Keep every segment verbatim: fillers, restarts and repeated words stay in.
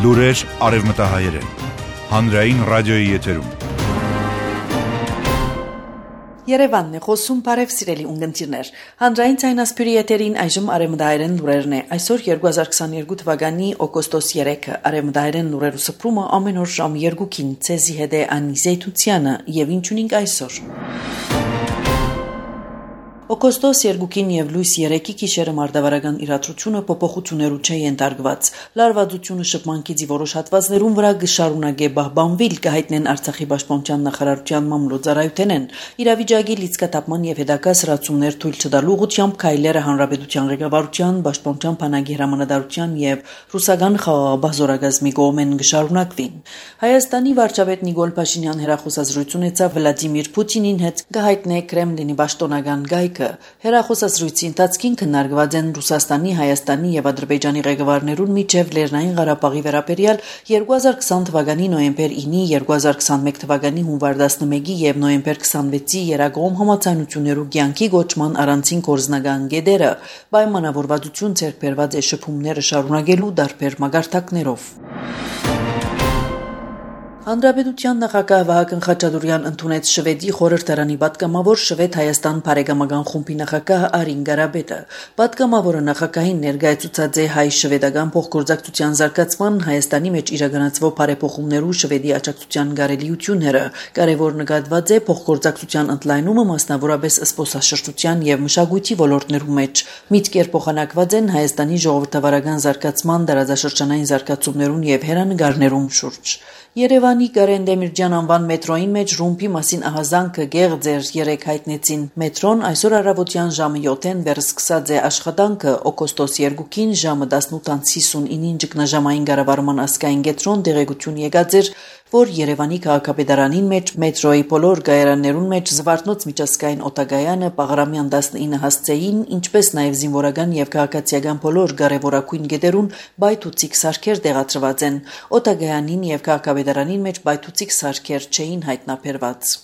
Լուրեր արևմտահայերեն, հանրային ռադիոյի եթերում։ Երևանն է խոսում, բարև սիրելի ունգընտիրներ։ Հանրային ցայնասպյուրի եթերին այժմ արևմտահայերեն լուրերն է։ Այսօր երկու հազար քսաներկու թվականի օգոստոս երեքը արևմտահայերեն լուրերու սփռումը ամեն օր ժամ երկուքին ցեզի հետ է Անի Զեյթությանը եւ ինչունինք այսօր։ Օգոստոս երկուքին եւ լույս երեքի գիշերը մարդավարական իրադրությունը փոփոխություններու չէ ենթարկված։ Լարվածությունը շփմանքիցի որոշ հատվածներում վրա գշարունակե բահբանվիլ կհայտնեն Արցախի պաշտպանության նախարարության մամլոյցարայութենեն։ Իրավիճակի լիցքատապման եւ հետագա սրացումներ թույլ չտալու ուղղությամբ քայլերը հանրապետության ղեկավարության, պաշտպանության բանակի հրամանատարության եւ ռուսական խաղաղապահ զորագազմի կողմեն գշարունակվին։ Հայաստանի վարչապետ Նիկոլ Փաշինյան հերախոսազրույց ունեցավ Վլադիմիր Պուտինին հետ կհայտնե Կրեմլինի պաշտոնական գայքը։ Հերախոսազրույցի ընթացքին քննարկված են Ռուսաստանի, Հայաստանի եւ Ադրբեջանի ղեկավարներուն միջև Լեռնային Ղարաբաղի վերաբերյալ երկու հազար քսան թվականի նոյեմբեր ինը, երկու հազար քսանմեկ թվականի հունվար տասնմեկի եւ նոյեմբեր քսանվեցի երակողմ համաձայնություններու կյանքի գոչման առանցին կորզնական գեդերը, պայմանավորվածություն ձեռք բերված է շփումները շարունակելու դարբեր մագարտակներով։ Հանրապետության նախագահ Վահագն Խաչատուրյան ընդունեց Շվեդի խորհրդարանի պատգամավոր Շվեդ-Հայաստան բարեկամական խումբի նախագահ Արին Գարաբետը։ Պատգամավորը նախագահին ներկայացուցած է հայ-շվեդական փոխգործակցության զարգացման Հայաստանի մեջ իրականացվող բարեփոխումներու Շվեդի աջակցության կարելիությունները։ Կարևոր նկատված է փոխգործակցության ընդլայնումը մասնավորապես զբոսաշրջության եւ մշակույթի ոլորտներու մեջ։ Միտքեր փոխանակված են Հայաստանի ժողովրդավարական զարգացման, տարածաշրջանային զարգացումներուն եւ հերանեկարներուն շուրջ։ Երևանի Կարեն Դեմիրճյան անվան մետրոյին մեջ ռումբի մասին ահազանգը գեղձեր երեք հայտնեցին։ Մետրոն այսօր առավոտյան ժամը յոթին վերսկսած է աշխատանքը օգոստոս երկուքին ժամը տասնութ հիսունինին ճգնաժամային կառավարման ազգային կենտրոն տեղեկություն եկած էր, որ Երևանի քաղաքապետարանին մեջ մետրոյի բոլոր գայարաններուն մեջ Զվարթնոց միջազգային օտագայանը Պաղրամյան տասնինը հասցեին, ինչպես նաև զինվորական եւ քաղաքացիական բոլոր կարևորագույն գետերուն բայթուցիկ սարքեր տեղադրված են։ Օտագայանին եւ քաղաքապետարանին մեջ բայթուցիկ սարքեր չէին հայտնաբերված։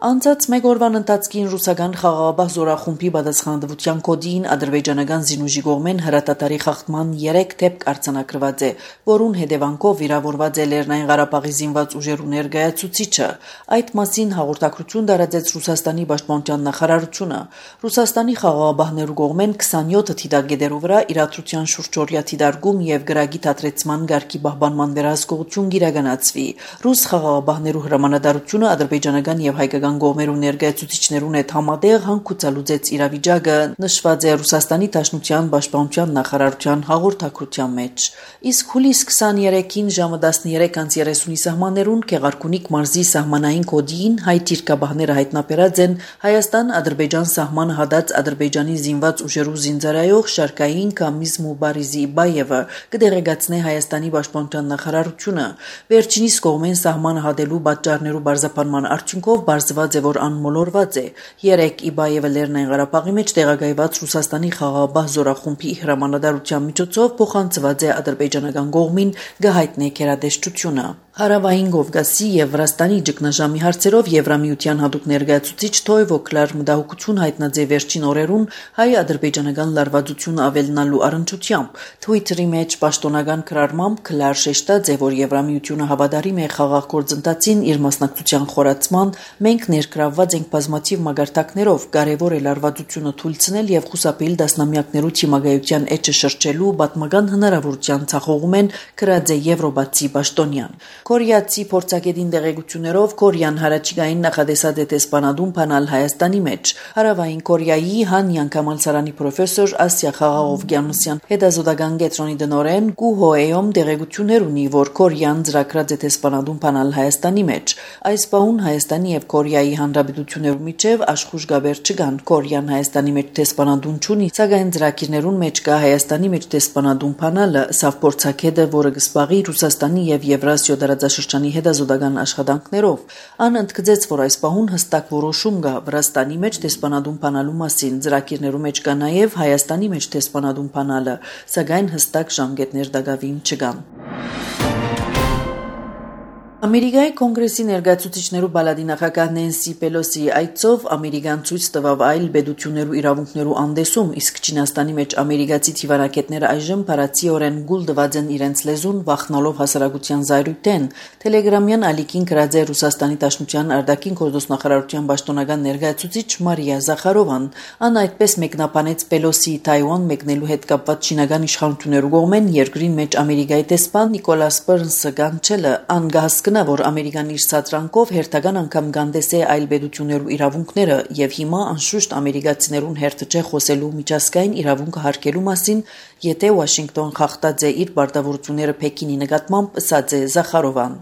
Անցած մեկ օրվան ընթացքին ռուսական խաղաղապահ զորախումբի պատասխանատվության կոդին ադրբեջանական զինուժի կողմեն հրատատարի խախտման երեք դեպք արձանագրված է, որուն հետևանքով վիրավորված է Լեռնային Ղարաբաղի զինված ուժերու ներկայացուցիչը։ Այդ մասին հաղորդակցություն տարածեց Ռուսաստանի պաշտպանության նախարարությունը։ Ռուսաստանի խաղաղապահներու կողմեն քսանյոթ թիթակետերու վրա իրադրության շուրջօրյա թիթարկում եւ գրագի թատրեցման գարկի պահպանման վերահսկողություն կիրականացվի։ Ռուս խաղաղապահներու հրամանատարությունը ադրբեջանական եւ հայկական գոմերու ներկայացուցիչներուն հետ համատեղ հանգուցալուծեց իրավիճակը, նշված է Ռուսաստանի Դաշնության պաշտպանության նախարարության հաղորդակցության մեջ։ Իսկ հուլիս քսաներեքին ժամը տասներեք երեսունի սահմաններուն Գեղարքունիք մարզի սահմանային կոդին հայ թիրքաբահները հայտնաբերած են Հայաստան-Ադրբեջան սահմանը հատած Ադրբեջանի զինված ուժերու զինծառայող Շարքային Կամիզ Մուբարիզի Բայևը կդեղեկացնե Հայաստանի պաշտպանության նախարարությունը։ Վերջինիս կողմեն սահմանը հատելու պատճառներու բարձրացման արդյունքով բարձված է, որ անմոլորված է։ Երեք Իբայևը Լեռնային Ղարաբաղի մեջ տեղակայված Ռուսաստանի խաղաղապահ զորախումբի հրամանատարության միջոցով փոխանցված է ադրբեջանական կողմին գահիտնե քերադեշտությունը։ Հարավային Կովկասի եւ Վրաստանի ճգնաժամի հարցերով Եվրամիության հատուկ ներկայացուցիչ Թոյվո Կլար մտահոգություն հայտնած է վերջին օրերուն հայ-ադրբեջանական լարվածությունը ավելնալու առընչությամբ։ Թվիթերի մեջ պաշտոնական գրառմամբ Կլար շեշտած է, որ Եվրամիությունը հավատարիմ է խաղաղ գործընթացին իր մասնակցության խորացման, մենք ներգրավված ենք բազմաթիվ մագարտակներով, կարևոր է լարվածությունը թույլցնել եւ խուսափել դասնամյակներու թիմագայության էջը շրջելու պատմական հնարավորության ցախողում են գրած է Եվրոպացի պաշտոնյան։ Կորեացի փորձագետին տեղեկություններով Կորեան հարաճիգային նախադեսած է տեսփանադուն փանալ Հայաստանի մեջ։ Հարավային Կորեայի Հանյան Կամալսարանի պրոֆեսոր Ասիա Խաղաղովգյանոսյան հետազոտական կենտրոնի տնօրեն Գու Հոեյոմ տեղեկություններ ունի, որ Կորեան ծրագրած է տեսփանադուն փանալ Հայաստանի մեջ։ Այս բանուն Հայաստանի եւ Կորեայի հանրապետություններու միջև աշխուժ գաբեր չկան։ Կորեան Հայաստանի մեջ տեսփանադուն չունի, սակայն ծրագիրներուն մեջ կա Հայաստանի մեջ տեսփանադուն փանալը, սավ փորձագետը, որը կսպաղի Ռուսաստանի եւ Եվրասիա դարաձաշրջանի հետազոտական աշխատանքներով։ Ան ընդգծեց, որ այս պահուն հստակ որոշում կա Վրաստանի մեջ տեսփանադուն փանալու մասին, ծրագիրներու մեջ կա նաև Հայաստանի մեջ տեսփանադուն փանալը, սակայն հստակ ժամկետներ դակավին չկան։ Ամերիկայի կոնգրեսի ներկայացուցիչներու բալադի նախագահ Նենսի Պելոսիի այցով Ամերիկան ցույց տվավ այլ բեդություններու իրավունքներու անդեսում, իսկ Չինաստանի մեջ ամերիկացի թիվանակետները այժմ փարացիորեն գուլ դված են իրենց լեզուն վախնալով հասարակության զայրույթեն։ Տելեգրամյան ալիքին գրած է Ռուսաստանի Դաշնության արտաքին գործոստնախարարության պաշտոնական ներկայացուցիչ Մարիա Զախարովան։ Ան այդպես մեկնաբանեց Պելոսիի Թայվան մեկնելու հետ կապված չինական իշխանություններու կողմեն երկրին մեջ Ամերիկայի տեսփան Նիկոլաս Բըրնսը կանչելը անգահ որ Ամերիկան իր սատրանքով հերթական անգամ գանդես է այլ բեդություններու իրավունքները եւ հիմա անշուշտ ամերիկացիներուն հերթը չէ խոսելու միջազգային իրավունքը հարգելու մասին, եթե Վաշինգտոն խախտած է իր պարտավորությունները Պեկինի նկատմամբ, ըսած է Զախարովան։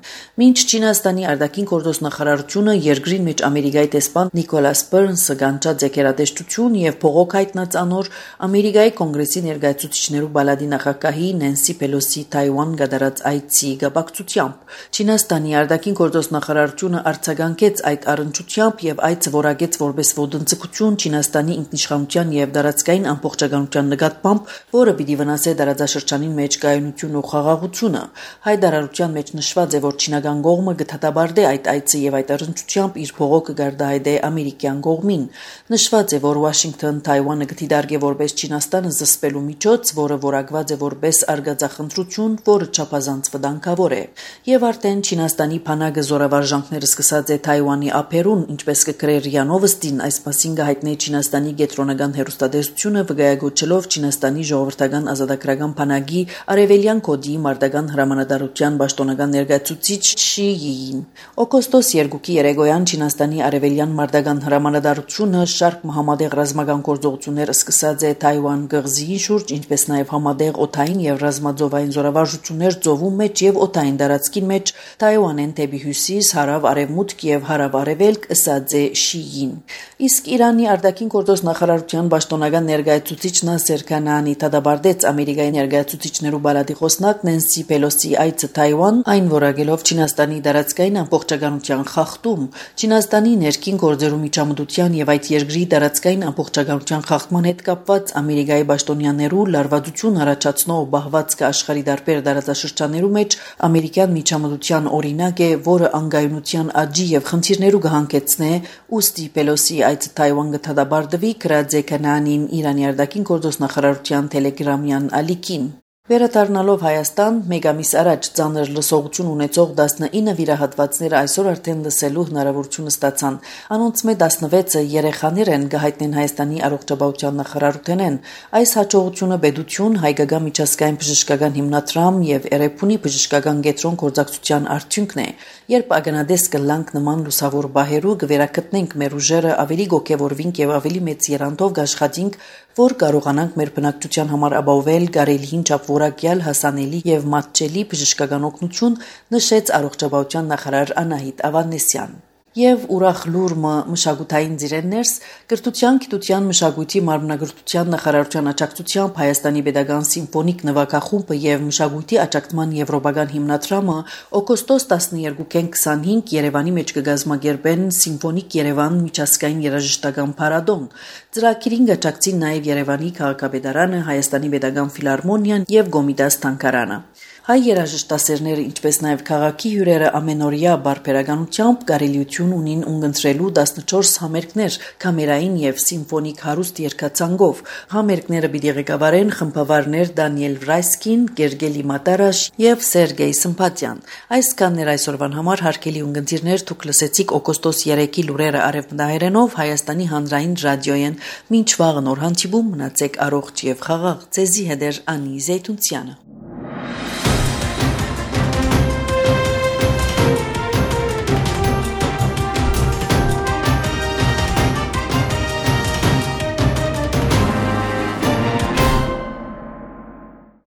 Մինչ Չինաստանի արտաքին գործոստնախարարությունը երկրին մեջ Ամերիկայի տեսփան Նիկոլաս Բըրնսը կանչած է քերատեսչություն եւ փողոք հայտնած անոր Ամերիկայի կոնգրեսի ներկայացուցիչներու բալադի նախագահի Նենսի Պելոսի Թայվան գդարած այցի գաբակցությամբ Չինաստանի արտաքին գործոստնախարարությունը արձագանքեց այդ առընչությամբ եւ այցը որակեց որպես ոտնձգություն Չինաստանի ինքնիշխանության եւ դարածքային ամբողջականության նկատմամբ, որը պիտի վնասե դարաձաշրջանի մեջ կայունությունն ու խաղաղությունը։ Հայտարարության մեջ նշված է, որ չինական կողմը կդատաբարտի այդ այցը եւ այդ առընչությամբ իր փողոքը գարդահայտե ամերիկյան կողմին։ Նշված է, որ Վաշինգտոն Թայվանը կդիտարկե որպես Չինաստանը զսպելու միջոց, որը որակված է որպես արգածախնդրություն, որը չափազանց վտանգավոր է։ Եվ արդեն Չինաստանի փանակը զորավարժանքները սկսած է Թայվանի ափերուն, ինչպես կգրեր ՌԻԱ Նովոստին, այս մասին կհայտնի Չինաստանի կենտրոնական հեռուստատեսությունը վկայակոչելով Չինաստանի ժողովրդական ազատագրական փանակի արևելյան կոդի մարտական հրամանատարության պաշտոնական ներկայացուցիչ Շի Յին։ Օգոստոս երկուքի երեկոյան Չինաստանի արևելյան մարտական հրամանատարությունը շարք մահամատեղ ռազմական գործողություններ սկսած է Թայվան գղզի շուրջ, ինչպես նաև համատեղ օդային եւ ռազմաձովային զորավարժություններ ծովու մեջ եւ օդային տարածքի մեջ Թայվանեն դեպի հյուսիս, հարավ, արևմուտք եւ հարավ արևելք, ըսած է Շիին։ Իսկ Իրանի արտաքին գործոստնախարարության պաշտոնական ներկայացուցիչ Նասեր Քանանի դատաբարտեց Ամերիկայի ներկայացուցիչներու բալադի խոսնակ Նենսի Պելոսի այցը Թայվան, այն որակելով Չինաստանի դարածքային ամբողջականության խախտում, Չինաստանի ներքին գործերու միջամտության եւ այդ երկրի դարածքային ամբողջականության խախտման հետ կապված Ամերիկայի պաշտոնյաներու լարվածություն առաջացնող բահվածքը աշխարհի դարբեր դարաշրջաններու մեջ ամերիկյան միջամտության օրինակ է, որը անգայունության աճի եւ խնդիրներու կհանգեցնե, ուստի Պելոսի այցը Թայվան կդատաբարտվի, գրած է Քանանին Իրանի արտաքին գործոստնախարարության տելեգրամյան ալիքին։ Վերադառնալով Հայաստան, մեկ ամիս առաջ ծանր լսողություն ունեցող տասնինը վիրահատվածները այսօր արդեն լսելու հնարավորությունը ստացան։ Անոնց մեջ տասնվեցը երեխաներ են, կհայտնեն Հայաստանի առողջապահության նախարարութենեն։ Այս հաջողությունը պետություն, հայկական միջազգային բժշկական հիմնադրամ եւ Էրեբունի բժշկական կենտրոն գործակցության արդյունքն է։ Երբ ագնադես կլանք նման լուսավոր բահերու կվերակտնենք մեր ուժերը, ավելի գոկեվորվինք եւ ավելի մեծ երանդով կաշխատենք, որ կարողանանք մեր բնակչության համար ապահովել կարելիին չափորակյալ հասանելի եւ մատչելի բժշկական օգնություն, նշեց առողջապահության նախարար Անահիտ Ավանեսյան։ Եվ ուրախ լուրը մշակութային ձիրեններս կրթության, գիտության, մշակույթի մարմնագրթության նախարարության աջակցությամբ Հայաստանի Պետական Սիմֆոնիկ նվագախումբը եւ մշակույթի աջակցման եվրոպական հիմնադրամը օգոստոս տասնյոթին քսանհինգ Երևանի մեջ կգազմագերբեն Սիմֆոնիկ Երևան միջազգային երաժշտական փառատոն։ Ծրագիրին աջակցին նաեւ Երևանի քաղաքապետարանը, Հայաստանի Պետական ֆիլհարմոնիան եւ Գոմիդաս թանգարանը։ Հայ երաժշտասերները, ինչպես նաև քաղաքի հյուրերը ամենօրյա բարբերականությամբ կարելիություն ունին ունգընտրելու տասնչորս համերգներ կամերային եւ սիմֆոնիկ հարուստ երգացանկով։ Համերգները պիտի ղեկավարեն խմբավարներ Դանիել Վրայսկին, Գերգելի Մատարաշ եւ Սերգեյ Սմփատյան։ Այսքաններ այսօրվան համար հարգելի ունգընտիրներ, դուք լսեցիք օգոստոս երեքի լուրերը արևմտահայերենով Հայաստանի հանրային ռադիոյեն։ Մինչ վաղը նոր հանդիպում, մնացեք առողջ եւ խաղաղ։ Ձեզի հետ է Անի Զեյթունցյանը։